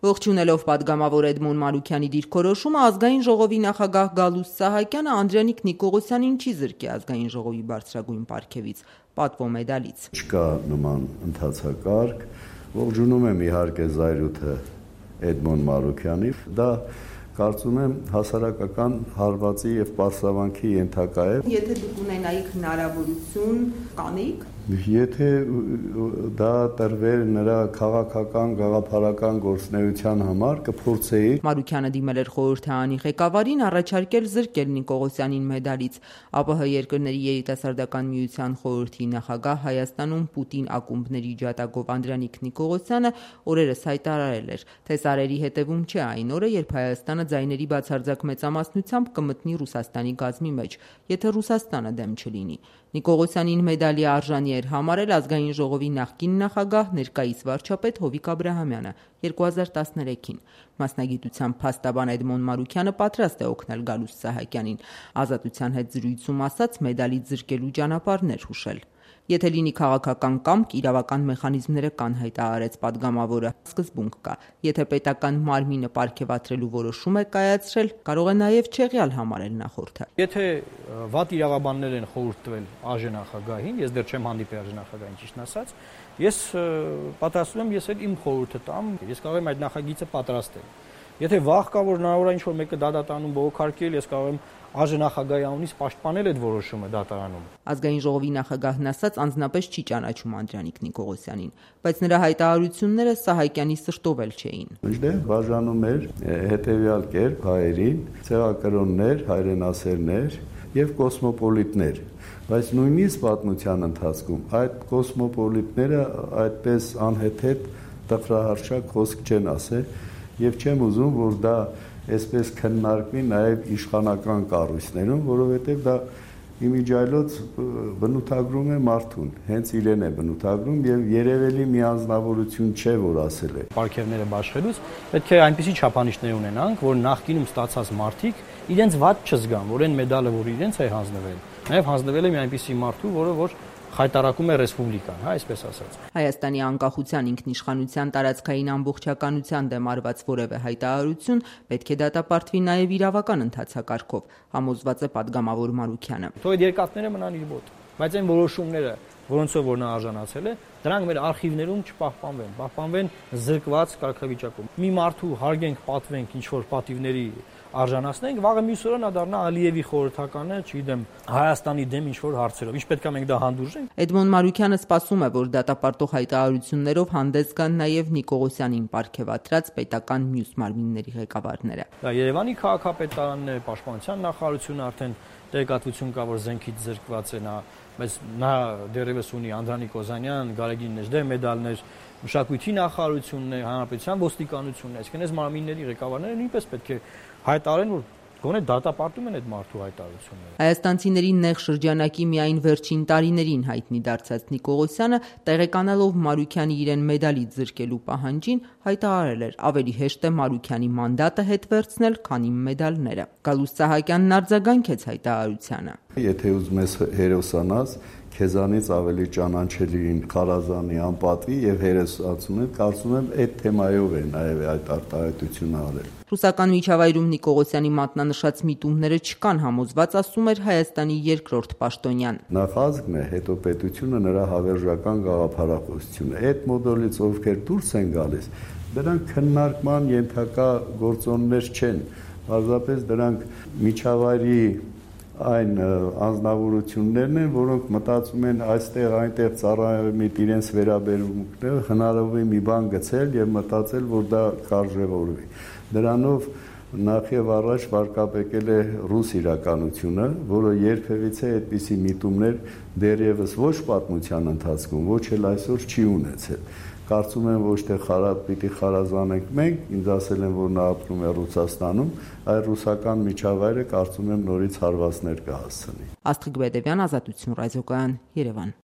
Ողջունելով պատգամավոր Էդմոն Մարուքյանի դիրքորոշումը, ազգային ժողովի նախագահ Գալուստ Սահակյանը Անդրանիկ Նիկողոսյանին չի զրկի ազգային ժողովի բարձրագույն պարգևից, պատվո մեդալից։ Չկա նման ընթացակարգ, ողջունում եմ իհարկե զայրույթը Էդմոն Մարուքյանի, դա կարծում եմ հասարակական հարվածի եւ պարսավանքի ենթակա է։ Եթե դուք ունենայիք հնարավորություն, կանեիք։ Եթե դա տրվեր նրա քաղաքական, գաղափարական գործունեության համար, կփորձեի։ Մարուքյանը դիմել էր խորհրդարանի ղեկավարին առաջարկել զրկել Նիկողոսյանին մեդալից։ ԱՊՀ երկրների երիտասարդական միության խորհրդի նախագահ Հայաստանում Պուտին ակումբների ջատագով Անդրանիկ Նիկողոսյանը օրերս հայտարարել էր, թե սարերի հետևում չէ այն օրը, երբ Հայաստանը ձայների բացարձակ մեծամասնությամբ կմտնի Ռուսաստանի գազմի մեջ, եթե Ռուսաստանը դեմ չլինի։ Նիկողոսյանին մեդալի արժանի էր համարել ազգային ժողովի նախկին նախագահ, ներկայիս վարչապետ Հովիկ Աբրահամյանը 2013-ին։ Մասնագիտությամբ փաստաբան Էդմոն Մարուքյանը պատրաստ է օգնել Գալուստ Սահակյանին, Ազատության հետ զրույցում ասաց մեդալից զրկելու ճանապարհներ հուշել։ Եթե լինի քաղաքական կամք, իրավական մեխանիզմները կան, հայտարարեց պատգամավորը, սկզբունք կա։ Եթե պետական մարմինը պարգևատրելու որոշում է կայացրել, կարող է նաև չեղյալ համարել նախորդը։ Եթե վատ իրավաբաններ են խորհուրդ տվել ԱԺ նախագահին, ես դեռ չեմ հանդիպել ԱԺ նախագահին, ճիշտն ասած, ես պատրաստվում եմ ես էլ իմ խորհուրդը տամ, ես կարող եմ այդ նախագիծը պատրաստել։ Եթե վաղ կա, որ հնարավոր է ինչ-որ մեկը դատատանում բողոքարկել, ես կարող եմ ԱԺ նախագահի անունից պաշտպանել այդ որոշումը դատարանում։ Ազգային ժողովի նախագահն ասաց, անձնապես չի ճանաչում Անդրանիկ Նիկողոսյանին, բայց նրա հայտարարությունները Սահակյանի սրտով էլ չէին։ Մինչդեռ բաժանում էր հետևյալ կերպ հայերին, ցեղակրոններ, հայրենասերներ եւ կոսմոպոլիտներ, բայց նույնիսկ պատմության ընթացքում այդ կոսմոպոլիտները այդպես անհեթեթ տխրահարշակ խոսք չեն ասել եւ չեմ ուզում, որ դա այսպես քննարկվի նաև իշխանական կառույցներում, որովհետև դա իմիջիայլոց բնութագրում է մարդուն, հենց իրեն է բնութագրում եւ երևելի մի անձնավորություն չէ, որ ասել է։ Պարգևները բաշխելուց պետք է այնպիսի չափանիշներ ունենանք, որ նախկինում ստացած մարդիկ իրենց վատ չզգան, որ այն մեդալը, որ իրենց է հանձնվել, նաև հանձնվել է մի այնպիսի մարդու, որը խայտարակում է ռեսպուբլիկան, այսպես ասած։ Հայաստանի անկախության, ինքնիշխանության, տարածքային ամբողջականության դեմ արված որևէ հայտարարություն պետք է դատապարտվի նաև իրավական ընթացակարգով, համոզված է պատգամավոր Մարուքյանը։ Թող այդ երկաթները մնան իր մոտ, բայց այն որոշումները, որոնցով որ նա արժանացել է, դրանք մեր արխիվներում չպահպանվեն, պահպանվեն զրկված կարգավիճակում։ Մի մարդու հարգենք, պատվենք, ինչ որ պատիվների արժանացնենք, վաղը մյուս օրը նա դառնա Ալիևի խորհրդականը, չգիտեմ, Հայաստանի դեմ ինչ որ հարցերով։ Ինչ պետք է մենք դա հանդուրժենք։ Էդմոն Մարուքյանը սպասում է, որ դատապարտող հայտարարություններով հանդես գան նաև Նիկողոսյանին պարգևատրած պետական մյուս մարմինների ղեկավարները։ Դա Երևանի քաղաքապետարանն է, Պաշտպանության նախարարությունը արդեն տեղեկատվություն կա, որ զենքից զրկված է նա, բայց նա դեռևս ունի Անդրանիկ Օզանյան, Գարեգին Նեժդե մեդալներ, Մշակույթի նախարարությունն է, Հանրապետության ոստիկանությունն է, այսինքն այս մարմինների ղեկավարները նույնպես պետք է հայտարարեն, որ գոնե դատապարտում են այդ մարդու հայտարարությունները։ Հայաստանցիների նեղ շրջանակի միայն վերջին տարիներին հայտնի դարձած Նիկողոսյանը, տեղեկանալով Մարուքյանի իրեն մեդալից զրկելու պահանջին, հայտարարել էր, ավելի հեշտ է Մարուքյանի մանդատը հետ վերցնել, քան իմ մեդալները։ Գալուստ Սահակյանն արձագանքեց հայտարարությանը։ Եթե ուզում ես հերոսանաս, քեզանից ավելի ճանաչելին Խարազանի անպատվի եւ հերոսացումը, կարծում եմ այդ թեմայով է նաեւ այդ արտահայտությունը արել։ Ռուսական միջավայրում Նիկողոսյանի մատնանշած միտումները չկան, համոզված ասում էր Հայաստանի երկրորդ պաշտոնյան։ Նախազգն է, հետո պետությունը, նրա հավերժական գաղափարախոսությունը։ Այդ մոդելից ովքեր դուրս են գալիս, դրանք քննարկման ենթակա գործոններ չեն, պարզապես դրանք միջավայրի այն անձնավորություններն են, որոնք մտածում են այստեղ այնտեղ ծառայամիտ իրենց վերաբերմունքները հնարավոր է մի բան գցել եւ մտածել, որ դա կարժևորվի։ Դրանով նախ եւ առաջ վարկաբեկել է ռուս իրականությունը, որը երբևիցե այդպիսի միտումներ դեռևս ոչ պատմության ընթացքում, ոչ էլ այսօր չի ունեցել։ Կարծում եմ ոչ թե պիտի խարազանենք մենք, ինձ ասել են, որ նա ապրում է Ռուսաստանում, այլ ռուսական միջավայրը կարծում եմ նորից հարվածներ կհասցնի։ Աստղիկ Բեդևյան, Ազատություն ռադիոկայան, Երևան։